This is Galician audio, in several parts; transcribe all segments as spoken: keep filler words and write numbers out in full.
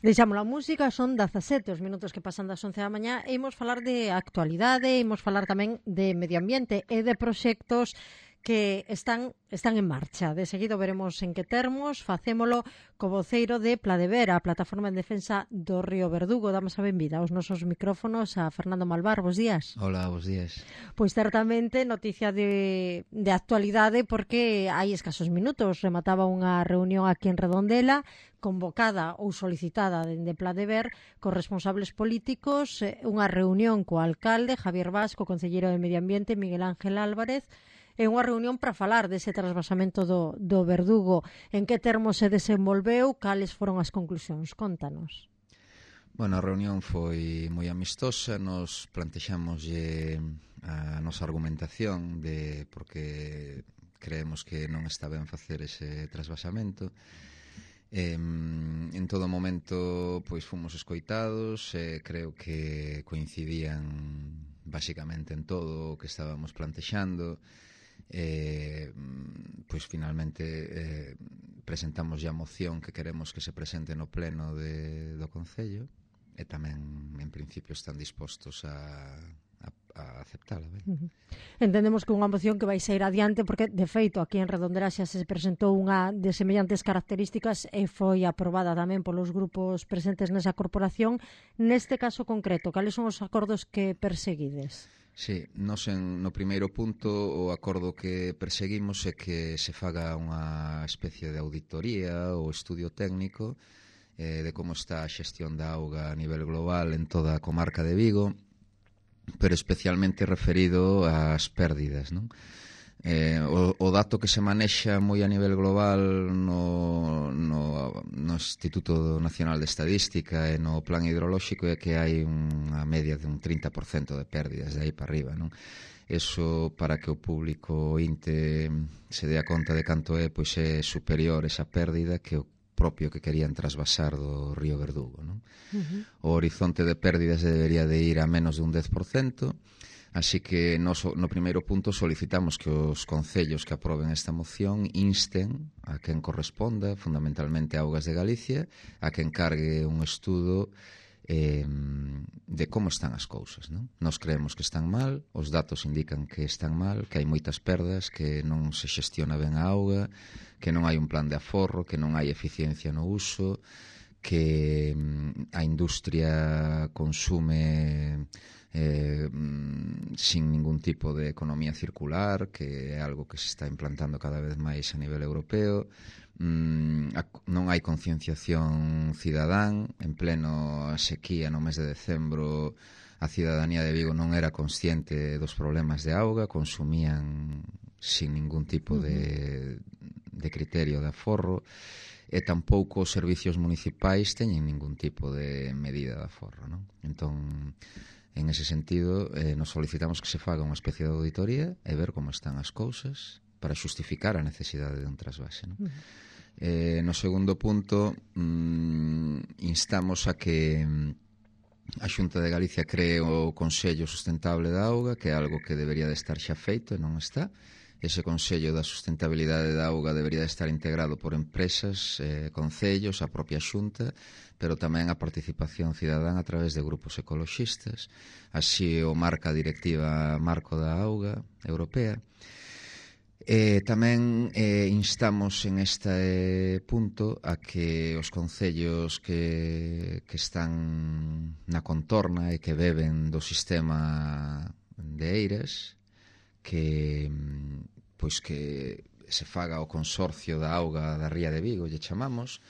Deixamos a música, son dezasete os minutos que pasan das once da mañá e imos falar de actualidade, imos falar tamén de medio ambiente e de proxectos que están están en marcha. De seguido veremos en que termos. Facémolo co voceiro de Pladever, a plataforma en defensa do río Verdugo. Damos a benvida aos nosos micrófonos a Fernando Malvar. Bos días. Hola, bos días. Pois certamente noticia de, de actualidade porque hai escasos minutos remataba unha reunión aquí en Redondela convocada ou solicitada dende Pladever cos responsables políticos, unha reunión co alcalde Javier Vasco, concelleiro de Medio Ambiente Miguel Ángel Álvarez. É unha reunión para falar dese trasvasamento do, do Verdugo. En que termos se desenvolveu? Cales foron as conclusións? Contanos. Bueno, a reunión foi moi amistosa. Nos plantexamos a nosa argumentación de porque creemos que non está ben facer ese trasvasamento. Eh, en todo momento pois fomos escoitados, eh, creo que coincidían basicamente en todo o que estábamos plantexando. Eh, pois finalmente eh, presentamos a moción que queremos que se presente no pleno de, do Concello e tamén en principio están dispostos a, a, a aceptala. Ben? Uh-huh. Entendemos que unha moción que vai sair adiante porque de feito aquí en Redondela xa se presentou unha de semellantes características e foi aprobada tamén polos grupos presentes nesa corporación. Neste caso concreto, cales son os acordos que perseguides? Sí, nos en, no primeiro punto o acordo que perseguimos é que se faga unha especie de auditoría ou estudio técnico eh, de como está a xestión da auga a nivel global en toda a comarca de Vigo, pero especialmente referido ás pérdidas, non? Eh, o, o dato que se manexa moi a nivel global no, no, no Instituto Nacional de Estadística e no Plan Hidrolóxico é que hai unha media de un trinta por cento de pérdidas de aí para arriba, non? Eso, para que o público inte se dea conta de canto é, pois é superior esa pérdida que o propio que querían trasvasar do río Verdugo, non? Uh-huh. O horizonte de pérdidas debería de ir a menos de un dez por cento. Así que nos, no primeiro punto solicitamos que os concellos que aproben esta moción insten a quen corresponda, fundamentalmente a Augas de Galicia, a que encargue un estudo eh, de como están as cousas, non? Nos creemos que están mal, os datos indican que están mal, que hai moitas perdas, que non se xestiona ben a auga, que non hai un plan de aforro, que non hai eficiencia no uso, que a industria consume eh, sin ningún tipo de economía circular, que é algo que se está implantando cada vez máis a nivel europeo. Mm, a, non hai concienciación cidadán. En pleno sequía no mes de decembro a cidadanía de Vigo non era consciente dos problemas de auga, consumían sin ningún tipo de, de criterio de aforro, e tampouco os servicios municipais teñen ningún tipo de medida de aforro, non? Entón, en ese sentido, eh, nos solicitamos que se faga unha especie de auditoría e ver como están as cousas para xustificar a necesidade de un trasvase, non? Uh-huh. Eh, no segundo punto, mm, instamos a que a Xunta de Galicia cree o Consello Sustentable da Auga, que é algo que debería de estar xa feito e non está. Ese Consello da Sustentabilidade da Auga debería de estar integrado por empresas, eh, concellos, a propia Xunta, pero tamén a participación cidadán a través de grupos ecoloxistas. Así o marca a Directiva Marco da Auga Europea. Eh, tamén eh, instamos en este punto a que os concellos que, que están na contorna e que beben do sistema de Eiras, que pois que se faga o consorcio da auga da Ría de Vigo, lle chamamos,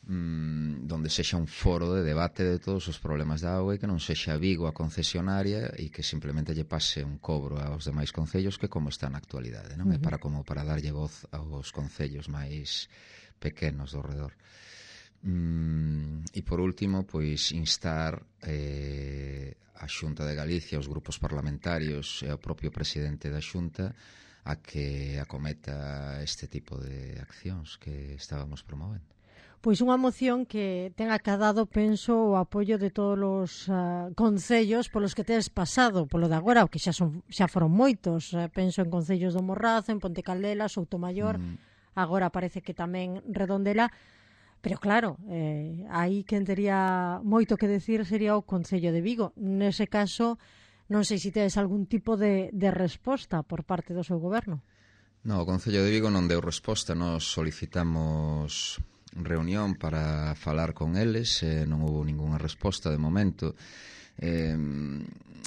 mmm, donde sexa un foro de debate de todos os problemas da auga e que non sexa Vigo a concesionaria e que simplemente lle pase un cobro aos demais concellos que como está na actualidade, non? Uh-huh. É para como para darlle voz aos concellos máis pequenos do redor. Mm, e por último, pois instar eh, a Xunta de Galicia, os grupos parlamentarios e o propio presidente da Xunta a que acometa este tipo de accións que estábamos promovendo. Pois unha moción que ten acadado, penso, o apoio de todos os uh, concellos polos que tedes pasado, polo de agora, que xa son xa foron moitos. Uh, penso en concellos do Morrazo, en Ponte Caldela, Soutomaior, mm. agora parece que tamén Redondela. Pero claro, eh, aí quen tería moito que decir sería o Concello de Vigo. Nese caso, non sei se tedes algún tipo de, de resposta por parte do seu goberno. No, o Concello de Vigo non deu resposta. Nos solicitamos reunión para falar con eles, eh, non houve ningunha resposta de momento. Eh,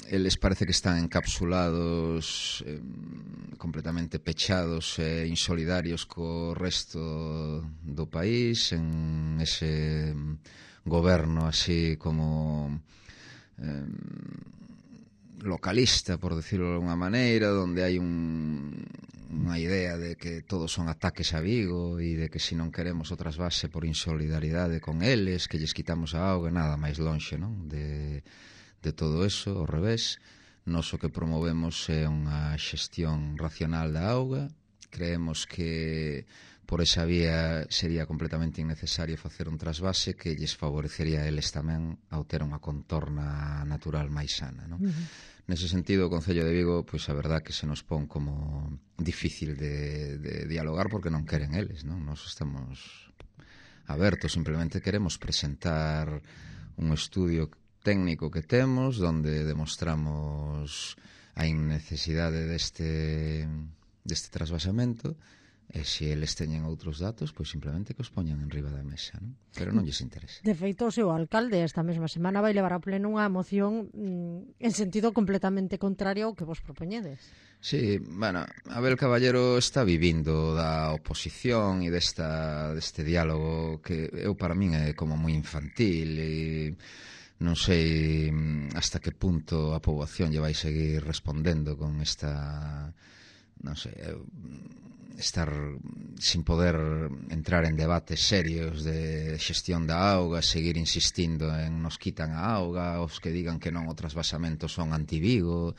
eles parece que están encapsulados, eh, completamente pechados e eh, insolidarios co resto do país, en ese goberno así como eh, localista, por decirlo de alguna maneira, donde hai un, unha idea de que todos son ataques a Vigo e de que se non queremos o trasvase por insolidaridade con eles, que lles quitamos a auga, nada máis lonxe, non? De de todo eso, ao revés. Nos o que promovemos é unha xestión racional da auga. Creemos que por esa vía sería completamente innecesario facer un trasvase que lles favorecería a eles tamén ao ter unha contorna natural máis sana, non? Uh-huh. Nese sentido, o Concello de Vigo, pois a verdad que se nos pon como difícil de, de dialogar porque non queren eles, non? Nos estamos abertos, simplemente queremos presentar un estudio técnico que temos, donde demostramos a innecesidade deste, deste trasvasamento, e se eles teñen outros datos, pois simplemente que os poñan en riba da mesa, non? Pero non lles interesa. De feito, o seu alcalde esta mesma semana vai levar a pleno unha moción mm, en sentido completamente contrario ao que vos propoñedes. Sí, bueno, Abel Caballero está vivindo da oposición e desta, deste diálogo que eu para min é como moi infantil e non sei hasta que punto a poboación lle vai seguir respondendo con esta, non sei, estar sin poder entrar en debates serios de xestión da auga, seguir insistindo en nos quitan a auga, os que digan que non o trasvasamento son anti-Vigo.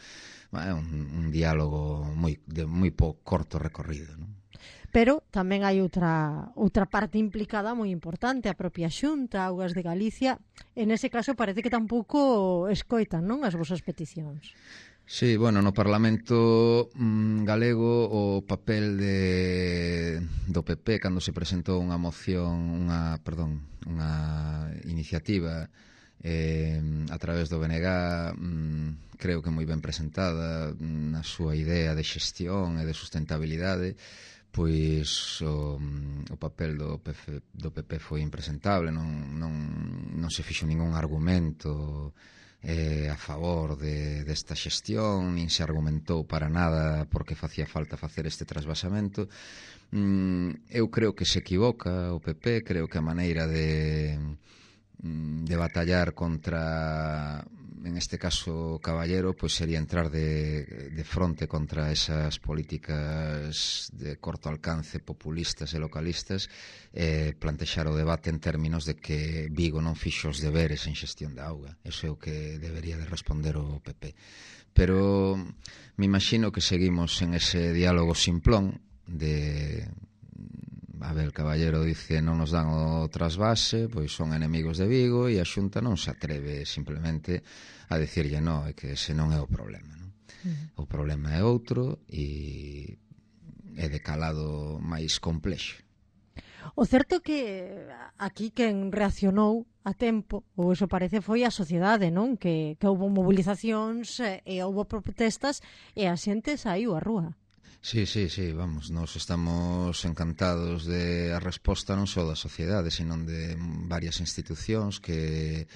É un, un diálogo moi, de moi pouco corto recorrido, non? Pero tamén hai outra outra parte implicada moi importante, a propia Xunta, Augas de Galicia. En ese caso parece que tampouco escoitan, non, as vosas peticións. Sí, bueno, no Parlamento mmm, galego o papel de, do P P cando se presentou unha moción, unha, perdón, unha iniciativa eh, a través do B N G, mmm, creo que moi ben presentada na súa idea de xestión e de sustentabilidade. Pois o, o papel do P F, do P P foi impresentable, non, non, non se fixo ningún argumento eh, a favor de, desta xestión, nin se argumentou para nada porque facía falta facer este trasvasamento. Mm, eu creo que se equivoca o P P, creo que a maneira de, de batallar contra, en este caso Caballero, pois sería entrar de, de fronte contra esas políticas de corto alcance populistas e localistas, e plantexar o debate en términos de que Vigo non fixo os deberes en xestión da auga. Eso é o que debería de responder o P P. Pero me imagino que seguimos en ese diálogo simplón de... Abel Caballero dice non nos dan o trasvase, pois son enemigos de Vigo, e a Xunta non se atreve simplemente a dicirlle non, é que ese non é o problema, non? Uh-huh. O problema é outro e é de calado máis complexo. O certo é que aquí quen reaccionou a tempo, ou iso parece, foi a sociedade, non? Que, que houve movilizacións e houve protestas e a xente saiu á rúa. Sí, sí, sí, vamos, nos estamos encantados de a resposta non só da sociedade, sino de varias institucións que,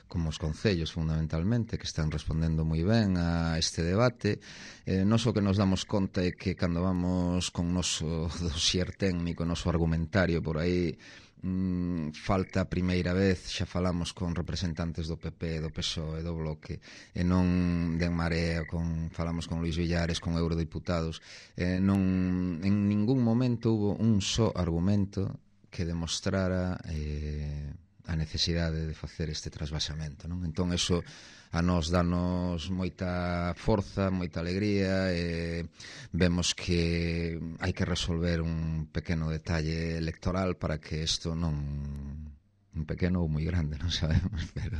como os concellos fundamentalmente, que están respondendo moi ben a este debate. Eh, nos o que nos damos conta é que cando vamos con noso dossier técnico, noso argumentario por aí, Mm, falta a primeira vez, xa falamos con representantes do P P, do P S O E, do Bloque, e non de En Marea, con, falamos con Luís Villares, con eurodiputados, e non, en ningún momento hubo un só argumento que demostrara eh, a necesidade de facer este trasvasamento, non? Entón, eso a nós danos moita forza, moita alegría, e vemos que hai que resolver un pequeno detalle electoral para que isto non... un pequeno ou moi grande, non sabemos, pero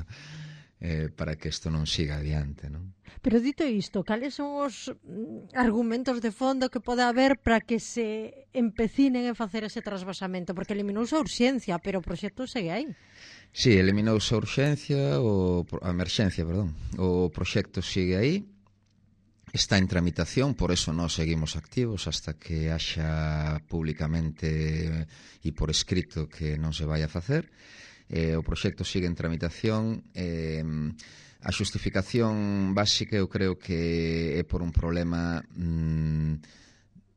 eh, para que isto non siga adiante, non? Pero dito isto, cales son os mm, argumentos de fondo que pode haber para que se empecinen a facer ese trasvasamento? Porque eliminouse a urxencia, pero o proxecto segue aí. Sí, eliminouse a urxencia, o, a emerxencia, perdón. O proxecto sigue aí, está en tramitación, por eso nós seguimos activos hasta que haxa públicamente e por escrito que non se vai a facer. Eh, o proxecto sigue en tramitación. Eh, a xustificación básica eu creo que é por un problema mm,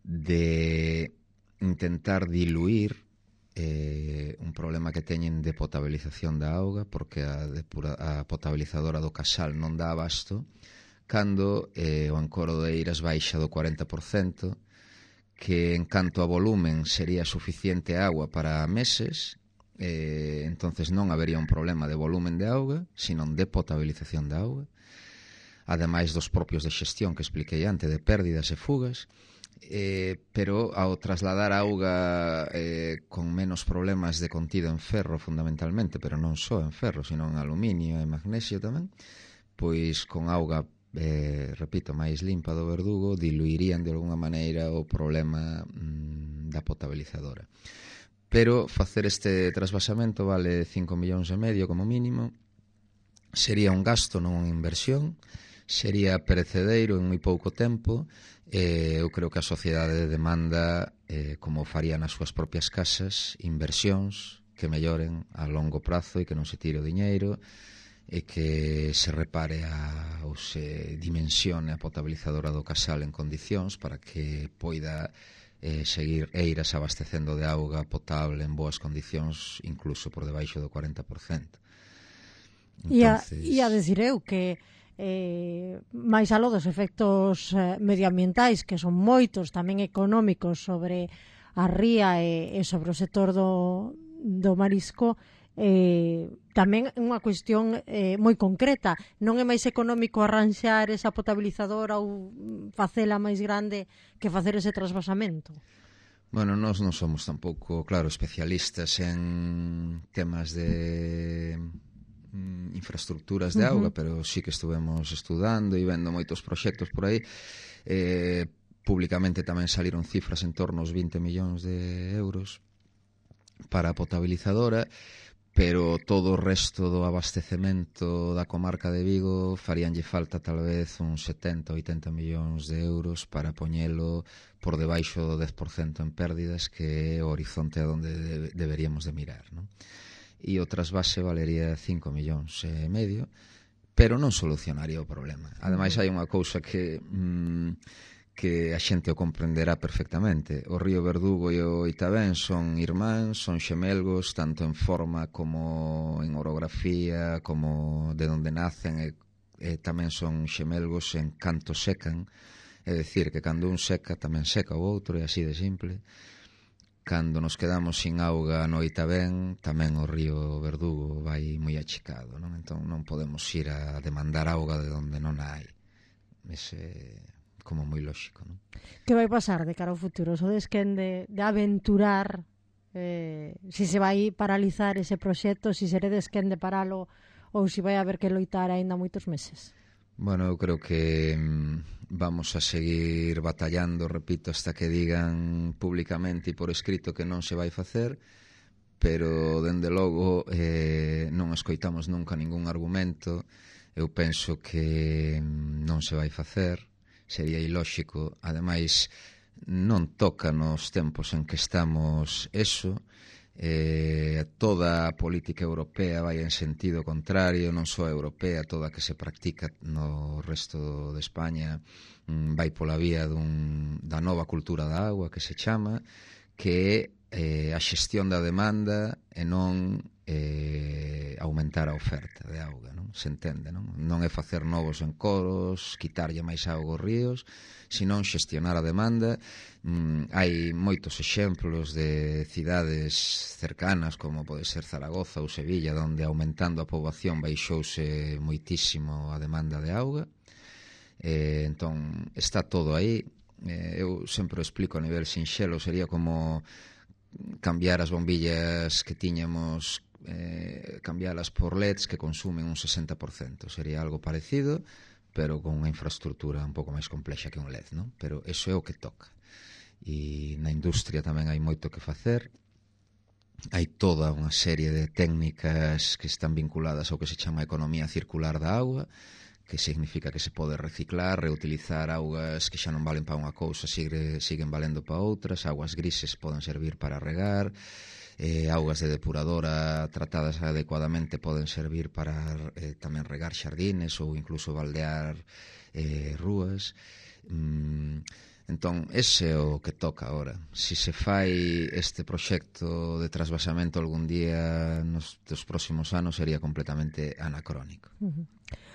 de intentar diluir eh, un problema que teñen de potabilización da auga, porque a, depura, a potabilizadora do Casal non dá abasto, cando eh, o encoro de Eiras baixa do cuarenta por cento, que en canto a volumen sería suficiente agua para meses. Eh, entonces non habería un problema de volumen de auga, sino de potabilización de auga, ademais dos propios de xestión que expliquei antes, de pérdidas e fugas, eh, pero ao trasladar auga eh, con menos problemas de contido en ferro fundamentalmente, pero non só en ferro, sino en aluminio e magnesio tamén, pois con auga, eh, repito, máis limpa do Verdugo, diluirían de alguna maneira o problema mm, da potabilizadora. Pero facer este trasvasamento vale cinco millóns e medio como mínimo, sería un gasto, non unha inversión, sería perecedeiro en moi pouco tempo. Eh, eu creo que a sociedade demanda, eh, como faría nas súas propias casas, inversións que melloren a longo prazo e que non se tire o diñeiro e que se repare a, ou se dimensione a potabilizadora do Casal en condicións para que poida Eh, seguir Eiras abastecendo de auga potable en boas condicións, incluso por debaixo do cuarenta por cento. Entonces... E a decir eu que eh, máis aló dos efectos eh, medioambientais, que son moitos, tamén económicos sobre a ría e, e sobre o sector do, do marisco, eh, tamén é unha cuestión eh, moi concreta. Non é máis económico arranxar esa potabilizadora ou facela máis grande que facer ese trasvasamento? Bueno, nós non somos tampouco, claro, especialistas en temas de mm, infraestructuras de auga, uh-huh. pero sí que estuvemos estudando e vendo moitos proxectos por aí. Eh, públicamente tamén saliron cifras en torno aos vinte millóns de euros para a potabilizadora, pero todo o resto do abastecemento da comarca de Vigo faríanlle falta tal vez uns setenta ou oitenta millóns de euros para poñelo por debaixo do dez por cento en pérdidas, que é o horizonte a donde de, deberíamos de mirar, non? E o trasvase valería cinco millóns e medio, pero non solucionaría o problema. Ademais, hai unha cousa que... Mm, que a xente o comprenderá perfectamente. O río Verdugo e o Itabén son irmáns, son xemelgos, tanto en forma como en orografía, como de onde nacen, e, e tamén son xemelgos en canto secan, é dicir, que cando un seca tamén seca o outro, e así de simple. Cando nos quedamos sin auga no Itabén, tamén o río Verdugo vai moi achicado, non? Entón non podemos ir a demandar auga de onde non hai. Ese... como moi lóxico, non? Que vai pasar de cara ao futuro? Sodes quen de, de aventurar eh, si se vai paralizar ese proxecto, si seredes quen de paralo ou si vai haber que loitar aínda moitos meses? Bueno, eu creo que mm, vamos a seguir batallando, repito, hasta que digan públicamente e por escrito que non se vai facer, pero dende logo eh, non escoitamos nunca ningún argumento. Eu penso que mm, non se vai facer, sería ilóxico, ademais non toca nos tempos en que estamos eso, eh, toda a política europea vai en sentido contrario, non só a europea, toda a que se practica no resto de España mm, vai pola vía dun, da nova cultura da agua, que se chama, que é eh, a xestión da demanda e non eh, aumentar a oferta de auga, non? Se entende, non? Non é facer novos encoros, quitarlle máis auga aos ríos, senón xestionar a demanda. Mm, hai moitos exemplos de cidades cercanas, como pode ser Zaragoza ou Sevilla, onde aumentando a poboación baixouse moitísimo a demanda de auga. Eh, entón, está todo aí. Eh, eu sempre o explico a nivel sinxelo, sería como cambiar as bombillas que tiñamos eh, cambialas por L E Ds que consumen un sesenta por cento. Sería algo parecido, pero con unha infraestructura un pouco máis complexa que un L E D, non? Pero iso é o que toca. E na industria tamén hai moito que facer. Hai toda unha serie de técnicas que están vinculadas ao que se chama economía circular da auga, que significa que se pode reciclar, reutilizar augas que xa non valen para unha cousa, sigue, siguen valendo para outras, augas grises poden servir para regar, eh, augas de depuradora tratadas adecuadamente poden servir para eh, tamén regar xardines ou incluso baldear eh, rúas. Mm, entón, ese é o que toca agora. Si se fai este proxecto de trasvasamento algún día nos dos próximos anos sería completamente anacrónico. Uh-huh.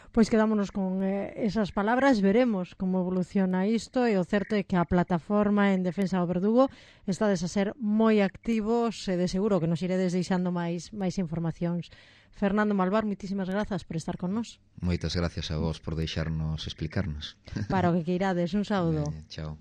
Pois quedámonos con eh, esas palabras, veremos como evoluciona isto, e o certo é que a plataforma en defensa do verdugo estades a ser moi activos e de seguro que nos iredes deixando máis máis informacións. Fernando Malvar, moitísimas grazas por estar con nós. Moitas gracias a vos por deixarnos explicarnos. Para o que queirades, un saúdo. Eh, chao.